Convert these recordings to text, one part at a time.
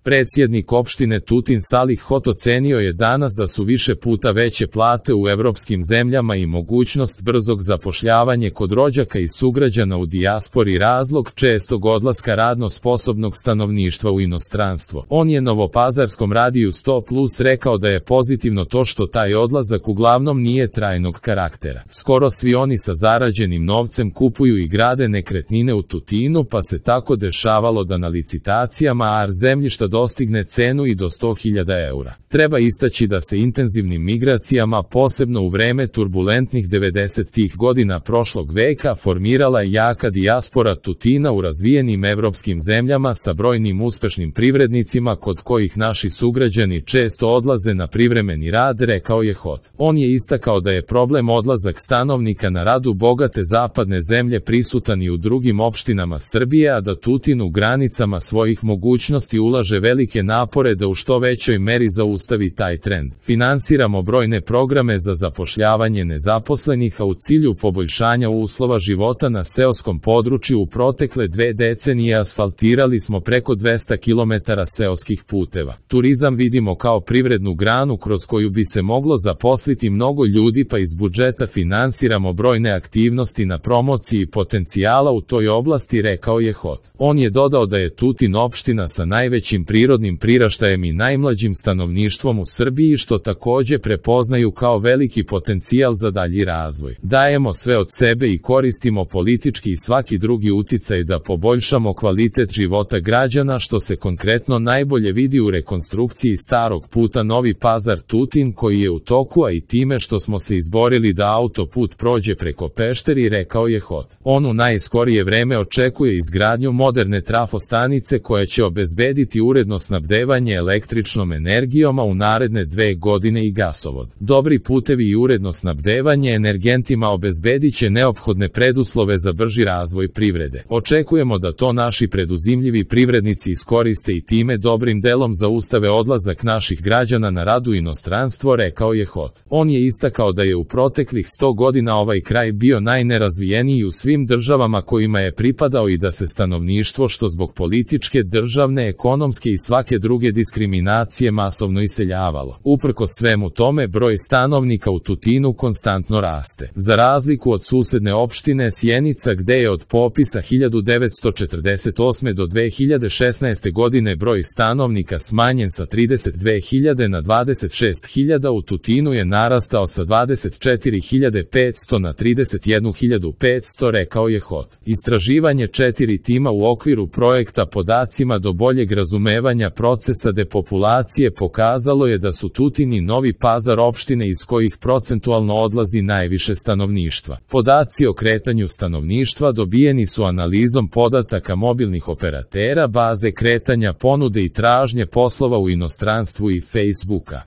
Predsjednik opštine Tutin Salih Hot ocenio je danas da su više puta veće plate u evropskim zemljama i mogućnost brzog zapošljavanja kod rođaka i sugrađana u dijaspori razlog čestog odlaska radno sposobnog stanovništva u inostranstvo. On je Novopazarskom radiju 100+ rekao da je pozitivno to što taj odlazak uglavnom nije trajnog karaktera. Skoro svi oni sa zarađenim novcem kupuju i grade nekretnine u Tutinu, pa se tako dešavalo da na licitacijama AR zemljišta dostigne cenu i do 100.000 eura. Treba istaći da se intenzivnim migracijama, posebno u vreme turbulentnih 90-ih godina prošlog veka, formirala jaka dijaspora Tutina u razvijenim evropskim zemljama sa brojnim uspešnim privrednicima kod kojih naši sugrađani često odlaze na privremeni rad, rekao je Hot. On je istakao da je problem odlazak stanovnika na rad u bogate zapadne zemlje prisutan i u drugim opštinama Srbije, a da Tutin u granicama svojih mogućnosti ulaže velike napore da u što većoj meri zaustavi taj trend. Finansiramo brojne programe za zapošljavanje nezaposlenih, a u cilju poboljšanja uslova života na seoskom području u protekle 2 decenije asfaltirali smo preko 200 km seoskih puteva. Turizam vidimo kao privrednu granu kroz koju bi se moglo zaposliti mnogo ljudi, pa iz budžeta finansiramo brojne aktivnosti na promociji potencijala u toj oblasti, rekao je Hot. On je dodao da je Tutin opština sa najvećim prirodnim priraštajem i najmlađim stanovništvom u Srbiji, što takođe prepoznaju kao veliki potencijal za dalji razvoj. Dajemo sve od sebe i koristimo politički i svaki drugi uticaj da poboljšamo kvalitet života građana, što se konkretno najbolje vidi u rekonstrukciji starog puta Novi Pazar-Tutin koji je u toku, a i time što smo se izborili da autoput prođe preko Pešteri, rekao je Hot. On u najskorije vreme očekuje izgradnju moderne trafostanice koja će obezbediti uredno snabdevanje električnom energijom, a u naredne 2 godine i gasovod. Dobri putevi i uredno snabdevanje energentima obezbedit će neophodne preduslove za brži razvoj privrede. Očekujemo da to naši preduzimljivi privrednici iskoriste i time dobrim delom zaustave odlazak naših građana na rad u inostranstvo, rekao je Hot. On je istakao da je u proteklih 100 godina ovaj kraj bio najnerazvijeniji u svim državama kojima je pripadao i da se stanovništvo, što zbog političke, državne, ekonomske i svake druge diskriminacije, masovno iseljavalo. Uprkos svemu tome, broj stanovnika u Tutinu konstantno raste. Za razliku od susedne opštine Sjenica, gde je od popisa 1948. do 2016. godine broj stanovnika smanjen sa 32.000 na 26.000, u Tutinu je narastao sa 24.500 na 31.500, rekao je Hot. Istraživanje 4 tima u okviru projekta Podacima do boljeg razumevanja procesa depopulacije pokazalo je da su Tutin i Novi Pazar opštine iz kojih procentualno odlazi najviše stanovništva. Podaci o kretanju stanovništva dobijeni su analizom podataka mobilnih operatera, baze kretanja ponude i tražnje poslova u inostranstvu i Facebooka.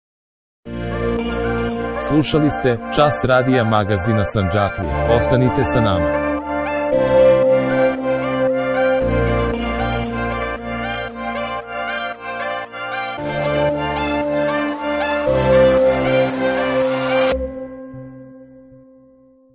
Slušali ste Čas radija magazina Sandžaklija. Ostanite sa nama.